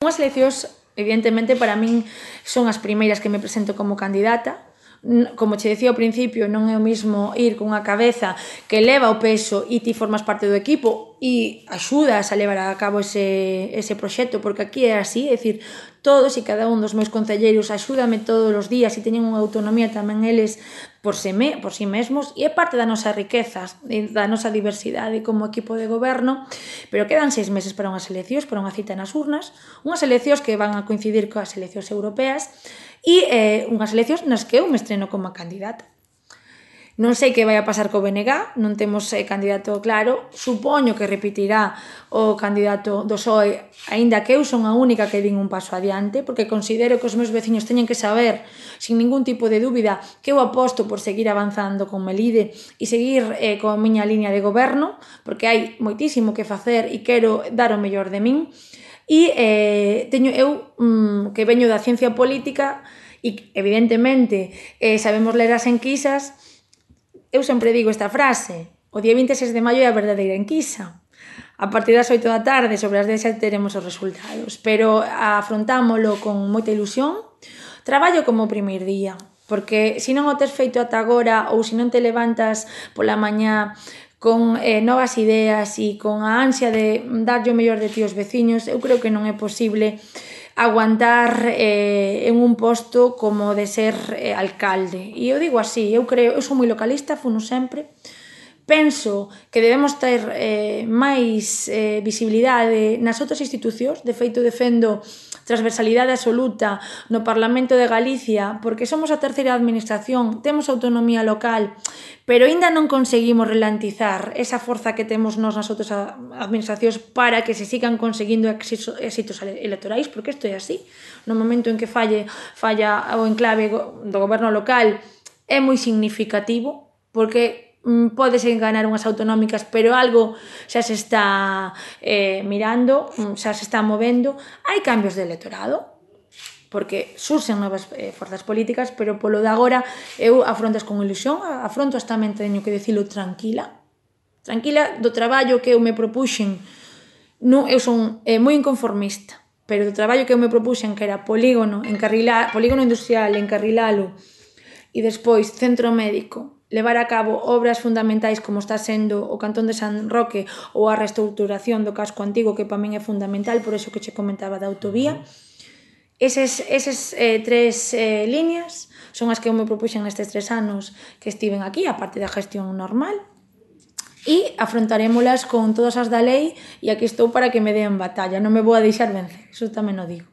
Unhas eleccións, evidentemente, para min son as primeiras que me presento como candidata. Como che dicía ao principio, non é o mismo ir cunha cabeza que leva o peso e ti formas parte do equipo e axudas a levar a cabo ese proxecto, porque aquí é así, é dicir, todos e cada un dos meus concelleiros axúdame todos os días e teñen unha autonomía tamén eles por si mesmos, e é parte da nosa riqueza, da nosa diversidade como equipo de goberno, pero quedan 6 meses para unhas eleccións, para unha cita nas urnas, unhas eleccións que van a coincidir coas eleccións europeas e unhas eleccións nas que eu me estreno como candidata. Non sei que vai a pasar co BNG, non temos candidato claro, supoño que repetirá o candidato do PSOE, aínda que eu son a única que din un paso adiante, porque considero que os meus veciños teñen que saber, sin ningún tipo de dúbida, que eu aposto por seguir avanzando con Melide e seguir coa miña liña de goberno, porque hai moitísimo que facer e quero dar o mellor de min. E teño eu, que veño da ciencia política e, evidentemente, sabemos ler as enquisas. Eu sempre digo esta frase: o día 26 de maio é a verdadeira enquisa. A partir das 8 da tarde, sobre as 10 teremos os resultados, pero afrontámolo con moita ilusión. Traballo como o primeiro día, porque se non o tes feito ata agora ou se non te levantas pola mañá con novas ideas e con a ansia de darlle o mellor de ti aos veciños, eu creo que non é posible aguantar en un posto como de ser alcalde. E eu digo así, eu son moi localista, funo sempre. Penso que debemos ter máis visibilidade nas outras institucións, de feito defendo transversalidade absoluta no Parlamento de Galicia, porque somos a terceira administración, temos autonomía local, pero aínda non conseguimos relantizar esa forza que temos nós nas outras administracións para que se sigan conseguindo éxitos electorais, porque isto é así. No momento en que falla o enclave do goberno local é moi significativo, porque podes ganar unhas autonómicas, pero algo xa se está mirando, xa se está movendo. Hai cambios de electorado, porque surxen novas forzas políticas, pero polo de agora eu afrontas con ilusión, afrontas tamén, teño que dicilo, tranquila do traballo que eu me propuxen. Eu son moi inconformista, pero do traballo que eu me propuxen, que era polígono industrial, encarrilalo, e despois centro médico, levar a cabo obras fundamentais como está sendo o Cantón de San Roque ou a reestruturación do casco antigo, que para min é fundamental, por iso que che comentaba da autovía. Eses 3 líneas son as que eu me propuxen nestes 3 anos que estiven aquí, a parte da gestión normal, e afrontarémolas con todas as da lei, e aquí estou para que me den batalla, non me vou a deixar vencer, iso tamén o digo.